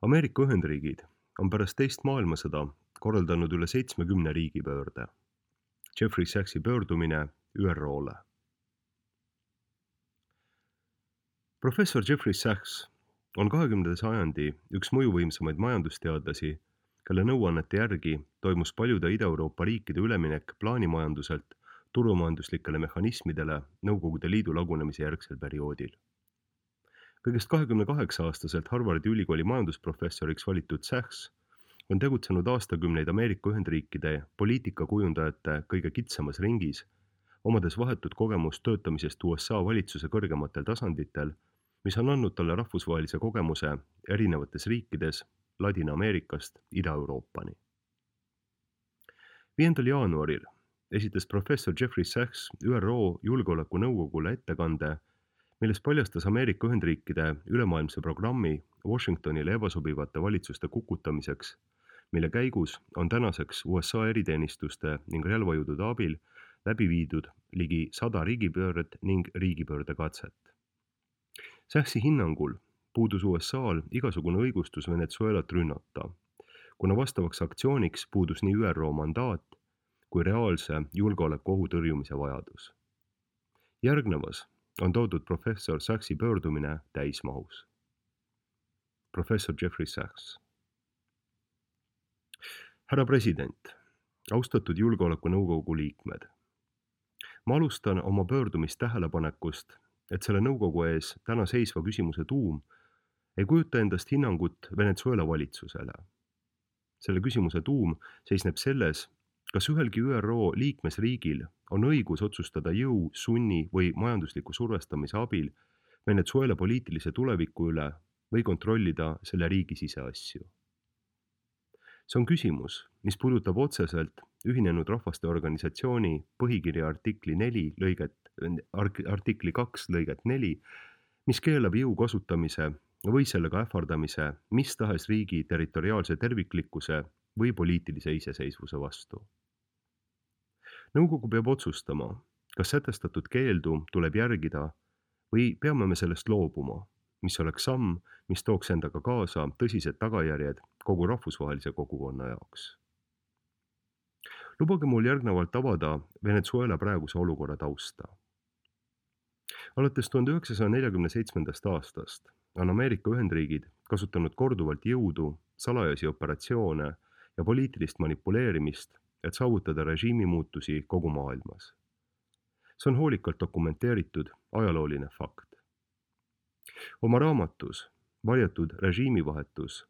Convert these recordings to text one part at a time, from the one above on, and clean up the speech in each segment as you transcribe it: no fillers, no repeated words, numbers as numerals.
Ameerika Ühendriigid on pärast teist maailmasõda korraldanud üle 70 riigipöörde. Jeffrey Sachsi pöördumine ÜRO-le. Professor Jeffrey Sachs on 20. sajandi üks mõjuvõimsamaid majandusteadlasi, kelle nõuannete järgi toimus paljude Ida-Euroopa riikide üleminek plaanimajanduselt turumajanduslikele mehhanismidele Nõukogude Liidu lagunemise järgsel perioodil. Kõigest 28-aastaselt Harvardi ülikooli majandusprofessoriks valitud Sachs on tegutsenud aastakümneid Ameerika Ühendriikide poliitikakujundajate kõige kitsamas ringis, omades vahetut kogemust töötamisest USA valitsuse kõrgematel tasanditel, mis on andnud talle rahvusvahelise kogemuse erinevates riikides Ladina-Ameerikast Ida-Euroopani. 5. jaanuaril esitas professor Jeffrey Sachs ÜRO Julgeolekunõukogule ettekande, milles paljastas Ameerika Ühendriikide ülemaailmse programmi Washingtonile ebasobivate valitsuste kukutamiseks, mille käigus on tänaseks USA eriteenistuste ning relvajõudude abil läbi viidud ligi 100 riigipööret ning riigipöördekatset. Sachsi hinnangul puudus USA-l igasugune õigustus Venezuelat rünnata, kuna vastavaks aktsiooniks puudus nii ÜRO mandaat kui reaalse julgeolekuohu tõrjumise vajadus. Järgnevas on toodud professor Sachsi pöördumine täismahus. Professor Jeffrey Sachs. Härra president, austatud Julgeolekunõukogu liikmed. Ma alustan oma pöördumist tähelepanekust, et selle nõukogu ees täna seisva küsimuse tuum ei kujuta endast hinnangut Venezuela valitsusele. Selle küsimuse tuum seisneb selles, kas ühelgi ÜRO liikmesriigil on õigus otsustada jõu, sunni või majandusliku survestamise abil Venezuela poliitilise tuleviku üle või kontrollida selle riigi siseasju. See on küsimus, mis puudutab otseselt Ühinenud Rahvaste Organisatsiooni põhikirja artikli 2 lõiget 4, mis keelab jõu kasutamise või sellega ähvardamise mis tahes riigi territoriaalse terviklikkuse või poliitilise iseseisvuse vastu. Nõukogu peab otsustama, kas sätestatud keeldu tuleb järgida või peame me sellest loobuma, mis oleks samm, mis tooks endaga kaasa tõsised tagajärjed kogu rahvusvahelise kogukonna jaoks. Lubage mul järgnevalt avada Venezuela praeguse olukorra tausta. Alates 1947. aastast on Ameerika Ühendriigid kasutanud korduvalt jõudu, salajasi operatsioone ja poliitilist manipuleerimist, et saavutada režiimi muutusi kogu maailmas. See on hoolikalt dokumenteeritud ajalooline fakt. Oma raamatus Varjatud režiimivahetus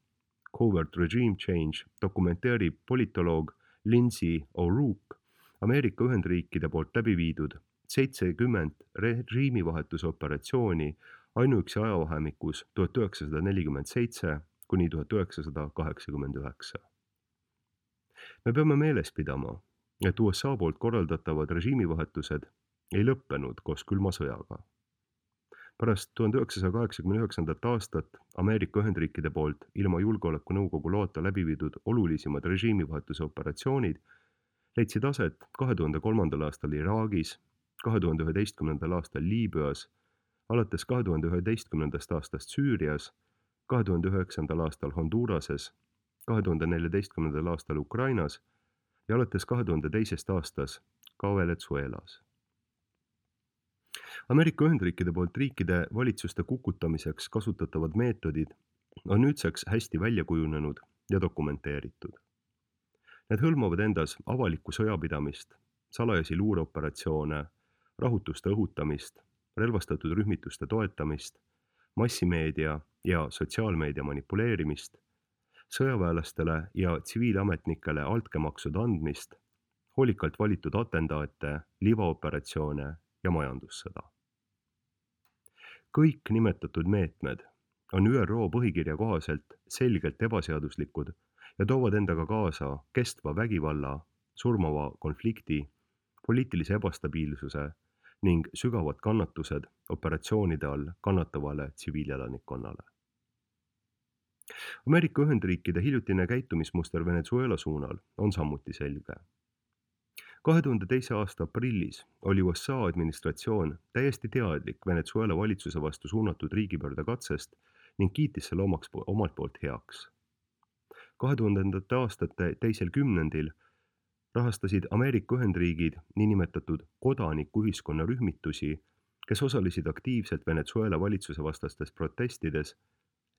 Covert Regime Change dokumenteerib politoloog Lindsay O'Rourke Ameerika Ühendriikide poolt läbi viidud 70 režiimivahetuse operatsiooni ainuüksi ajavahemikus 1947 kuni 1989. Me peame meeles pidama, et USA poolt korraldatavad režiimivahetused ei lõppenud koos külma sõjaga. Pärast 1989. aastat Ameerika Ühendriikide poolt ilma Julgeolekunõukogu loata läbi viidud olulisimad režiimivahetuse operatsioonid leidsid aset 2003. aastal Iraagis, 2011. aastal Liibüas, alates 2011. aastast Süürias, 2009. aastal Honduras'es, 2014. aastal Ukrainas ja alates 2002. aastast ka Venezuelas. Ameerika Ühendriikide poolt riikide valitsuste kukutamiseks kasutatavad meetodid on nüüdseks hästi välja kujunenud ja dokumenteeritud. Need hõlmavad endas avalikku sõjapidamist, salajasi luureoperatsioone, rahutuste õhutamist, relvastatud rühmituste toetamist, massimeedia ja sotsiaalmeedia manipuleerimist, sõjaväelastele ja tsiviilametnikele altkäemaksude andmist, hoolikalt valitud atendaate, livaoperatsioone ja majandussõda. Kõik nimetatud meetmed on ÜRO põhikirja kohaselt selgelt ebaseaduslikud ja toovad endaga kaasa kestva vägivalla, surmava konflikti, poliitilise ebastabiilsuse ning sügavad kannatused operatsioonide all kannatavale tsiviilelanikkonnale. Ameerika Ühendriikide hiljutine käitumismuster Venezuela suunal on samuti selge. 2002. aasta aprillis oli USA administratsioon täiesti teadlik Venezuela valitsuse vastu suunatud riigipöördekatsest ning kiitis selle omalt poolt heaks. 2000. aastate teisel kümnendil rahastasid Ameerika Ühendriigid niinimetatud kodanikuühiskonna rühmitusi, kes osalesid aktiivselt Venezuela valitsuse vastastes protestides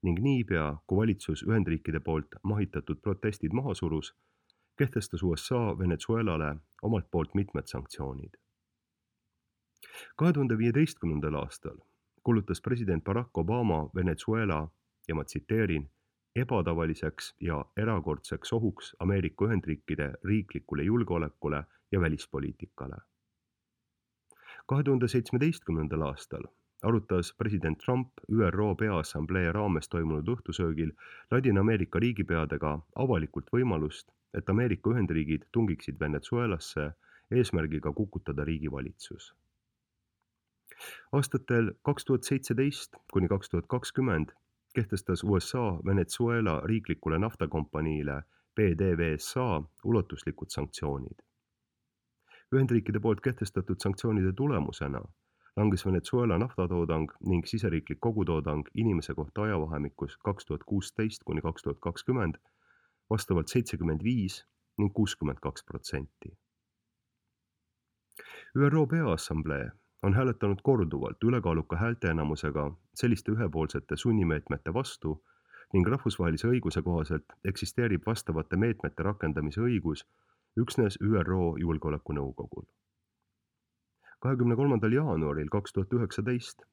ning niipea, kui valitsus Ühendriikide poolt mahitatud protestid maha surus, kehtestas USA Venezuelale omalt poolt mitmed sanktsioonid. 2015. aastal kuulutas president Barack Obama Venezuela, ja ma tsiteerin, ebatavaliseks ja erakordseks ohuks Ameerika Ühendriikide riiklikule julgeolekule ja välispoliitikale. 2017. aastal arutas president Trump ÜRO Peaassamblee raames toimunud õhtusöögil Ladina-Ameerika riigipeadega avalikult võimalust, et Ameerika Ühendriigid tungiksid Venezuelasse eesmärgiga kukutada riigivalitsus. Aastatel 2017 kuni 2020 kehtestas USA Venezuela riiklikule naftakompaniile PDVSA ulatuslikud sanktsioonid. Ühendriikide poolt kehtestatud sanktsioonide tulemusena langes Venezuela naftatoodang ning siseriiklik kogutoodang inimese kohta ajavahemikus 2016 kuni 2020 vastavalt 75 ning 62%. ÜRO Peaassamblee on hääletanud korduvalt ülekaaluka häälteenamusega selliste ühepoolsete sunnimeetmete vastu ning rahvusvahelise õiguse kohaselt eksisteerib vastavate meetmete rakendamise õigus üksnes ÜRO Julgeolekunõukogul. 23. jaanuaril 2019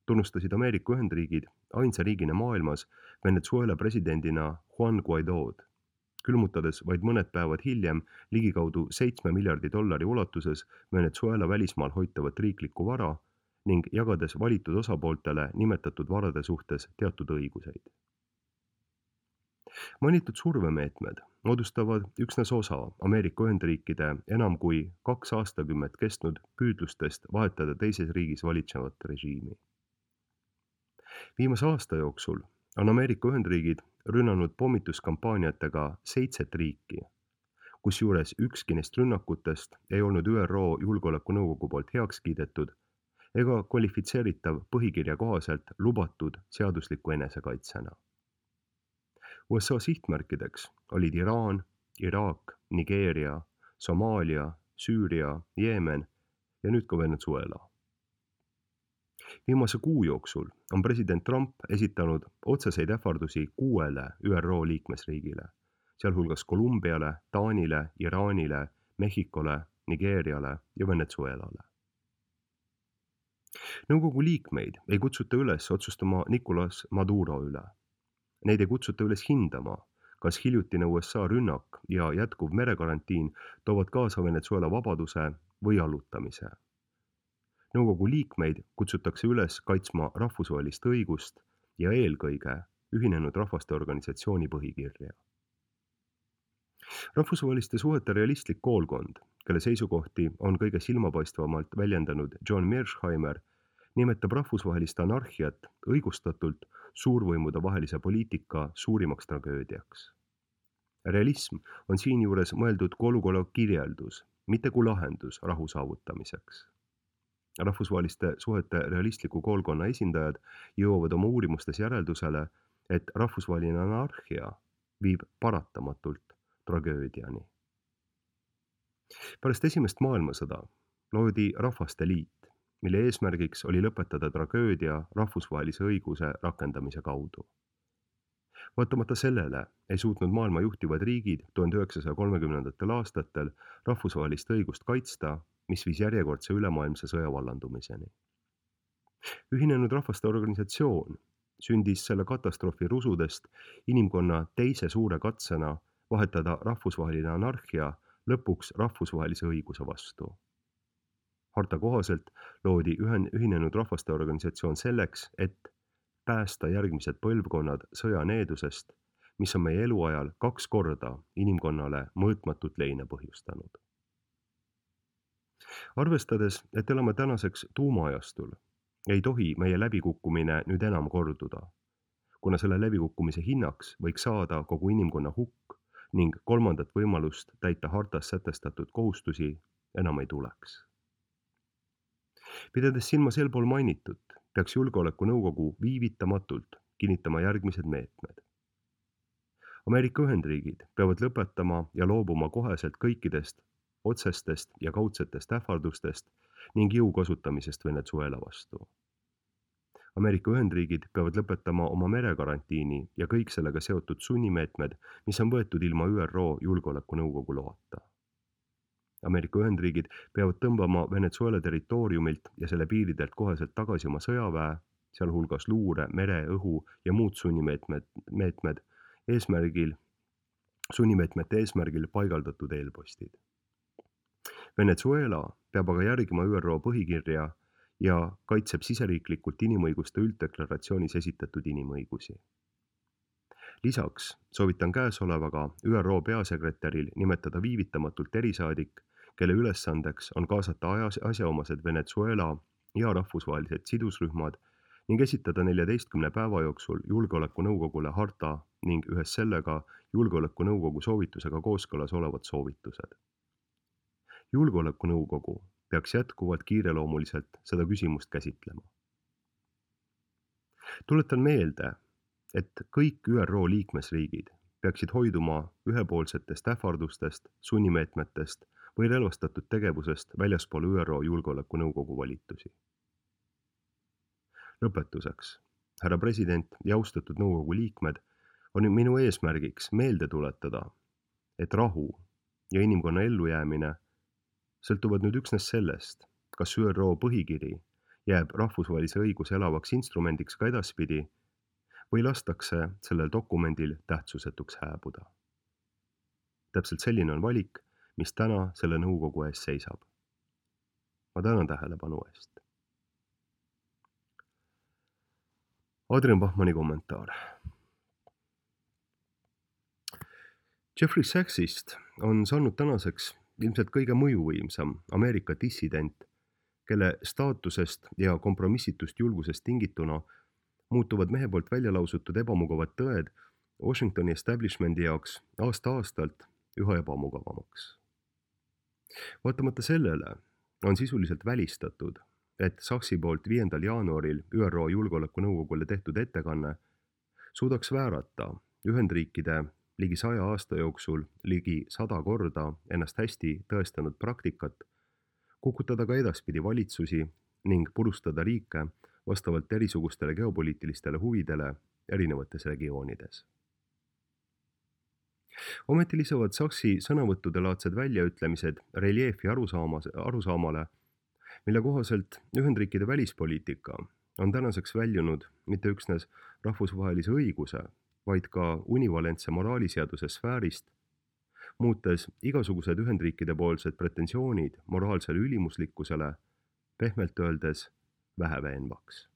tunnustasid Ameerika Ühendriigid ainsa riigina maailmas Venezuela presidendina Juan Guaidod, külmutades vaid mõned päevad hiljem ligikaudu $7 miljardi ulatuses Venezuela välismaal hoitavat riiklikku vara ning jagades valitud osapooltele nimetatud varade suhtes teatud õiguseid. Mainitud survemeetmed moodustavad üksnes osa Ameerika Ühendriikide enam kui 2 aastakümmet kestnud püüdlustest vahetada teises riigis valitsevat režiimi. Viimase aasta jooksul on Ameerika Ühendriigid rünnanud pommituskampaaniatega 7 riiki, kusjuures ükski neist rünnakutest ei olnud ÜRO Julgeolekunõukogu poolt heaks kiidetud ega kvalifitseeritav põhikirja kohaselt lubatud seadusliku enesekaitsena. USA sihtmärkideks olid Iraan, Iraak, Nigeeria, Somaalia, Süüria, Jeemen ja nüüd ka Venezuela. Viimase kuu jooksul on president Trump esitanud otseseid ähvardusi 6 ÜRO liikmesriigile, sealhulgas Kolumbiale, Taanile, Iraanile, Mehhikole, Nigeeriale ja Venezuelale. Nõukogu liikmeid ei kutsuta üles otsustama Nicolas Maduro üle. Neid ei kutsuta üles hindama, kas hiljutine USA rünnak ja jätkuv merekarantiin toovad kaasa Venezuela vabaduse või allutamise. Nõukogu liikmeid kutsutakse üles kaitsma rahvusvahelist õigust ja eelkõige Ühinenud Rahvaste Organisatsiooni põhikirja. Rahvusvaheliste suhete realistlik koolkond, kelle seisukohti on kõige silmapaistvamalt väljendanud John Mearsheimer, nimetab rahvusvahelist anarhiat õigustatult suurvõimude vahelise poliitika suurimaks tragöödiaks. Realism on siinjuures mõeldud kui olukorra kirjeldus, mitte kui lahendus rahu saavutamiseks. Rahvusvaheliste suhete realistliku koolkonna esindajad jõuavad oma uurimustes järeldusele, et rahvusvaheline anarhia viib paratamatult tragöödiani. Pärast esimest maailmasõda loodi Rahvaste Liit, mille eesmärgiks oli lõpetada tragöödia rahvusvahelise õiguse rakendamise kaudu. Vaatamata sellele ei suutnud maailma juhtivad riigid 1930. aastatel rahvusvahelist õigust kaitsta, mis viis järjekordse ülemaailmse sõja vallandumiseni. Ühinenud Rahvaste Organisatsioon sündis selle katastroofi rusudest inimkonna teise suure katsena vahetada rahvusvaheline anarhia lõpuks rahvusvahelise õiguse vastu. Harta kohaselt loodi Ühinenud Rahvaste Organisatsioon selleks, et päästa järgmised põlvkonnad sõjaneedusest, mis on meie eluajal 2 korda inimkonnale mõõtmatut leina põhjustanud. Arvestades, et elame tänaseks tuumaajastul, ei tohi meie läbikukkumine nüüd enam korduda, kuna selle läbikukkumise hinnaks võiks saada kogu inimkonna hukk ning kolmandat võimalust täita hartas sätestatud kohustusi enam ei tuleks. Pidades silmas eelpool mainitut, peaks Julgeolekunõukogu viivitamatult kinnitama järgmised meetmed. Ameerika Ühendriigid peavad lõpetama ja loobuma koheselt kõikidest otsestest ja kaudsetest ähvardustest ning jõu kasutamisest Venezuela vastu. Ameerika Ühendriigid peavad lõpetama oma merekarantiini ja kõik sellega seotud sunnimeetmed, mis on võetud ilma ÜRO Julgeolekunõukogu loata. Ameerika Ühendriigid peavad tõmbama Venezuela territooriumilt ja selle piiridelt koheselt tagasi oma sõjaväe, sealhulgas luure, mere, õhu ja muud sunnimeetmete eesmärgil paigaldatud eelpostid. Venezuela peab aga järgima ÜRO põhikirja ja kaitseb siseriiklikult inimõiguste ülddeklaratsioonis esitatud inimõigusi. Lisaks soovitan käesolevaga ÜRO peasekretäril nimetada viivitamatult erisaadik, kelle ülesandeks on kaasata asjaomased Venezuela ja rahvusvahelised sidusrühmad ning esitada 14 päeva jooksul Julgeolekunõukogule harta ning ühes sellega Julgeolekunõukogu soovitusega kooskõlas olevad soovitused. Julgeolekunõukogu peaks jätkuvalt kiireloomuliselt seda küsimust käsitlema. Tuletan meelde, et kõik ÜRO liikmesriigid peaksid hoiduma ühepoolsetest ähvardustest, sunnimeetmetest või relvastatud tegevusest väljaspool ÜRO Julgeolekunõukogu volitusi. Lõpetuseks, härra president ja austatud nõukogu liikmed, on minu eesmärgiks meelde tuletada, et rahu ja inimkonna ellujäämine sõltuvad nüüd üksnes sellest, kas ÜRO põhikiri jääb rahvusvahelise õiguse elavaks instrumendiks ka edaspidi või lastakse sellel dokumendil tähtsusetuks hääbuda. Täpselt selline on valik, mis täna selle nõukogu ees seisab. Ma tänan tähelepanu eest. Adrian Bachmanni kommentaar. Jeffrey Sachsist on saanud tänaseks ilmselt kõige mõjuvõimsam Ameerika dissident, kelle staatusest ja kompromissitust julgusest tingituna muutuvad mehe poolt välja lausutud ebamugavad tõed Washingtoni establishmendi jaoks aasta-aastalt üha ebamugavamaks. Vaatamata sellele on sisuliselt välistatud, et Sachsi poolt 5. jaanuaril ÜRO Julgeolekunõukogule tehtud ettekanne suudaks väärata Ühendriikide ligi 100 aasta jooksul ligi 100 korda ennast hästi tõestanud praktikat, kukutada ka edaspidi valitsusi ning purustada riike vastavalt erisugustele geopoliitilistele huvidele erinevates regioonides. Ometi lisavad Sachsi sõnavõttude laadsed väljaütlemised reljeefi arusaamale, mille kohaselt Ühendriikide välispoliitika on tänaseks väljunud mitte üksnes rahvusvahelise õiguse, vaid ka univalentse moraaliseaduse sfäärist, muutes igasugused Ühendriikide poolsed pretensioonid moraalsele ülimuslikkusele pehmelt öeldes väheveenvaks.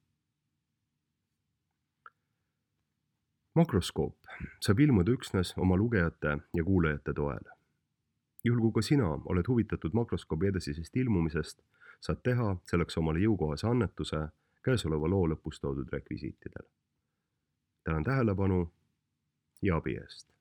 Makroskoop saab ilmuda üksnes oma lugejate ja kuulajate toel. Juhul kui ka sina oled huvitatud makroskoobi edasisest ilmumisest, saad teha selleks omale jõukohase annetuse käesoleva loo lõpus toodud rekvisiitidel. Tänan tähelepanu ja abi eest.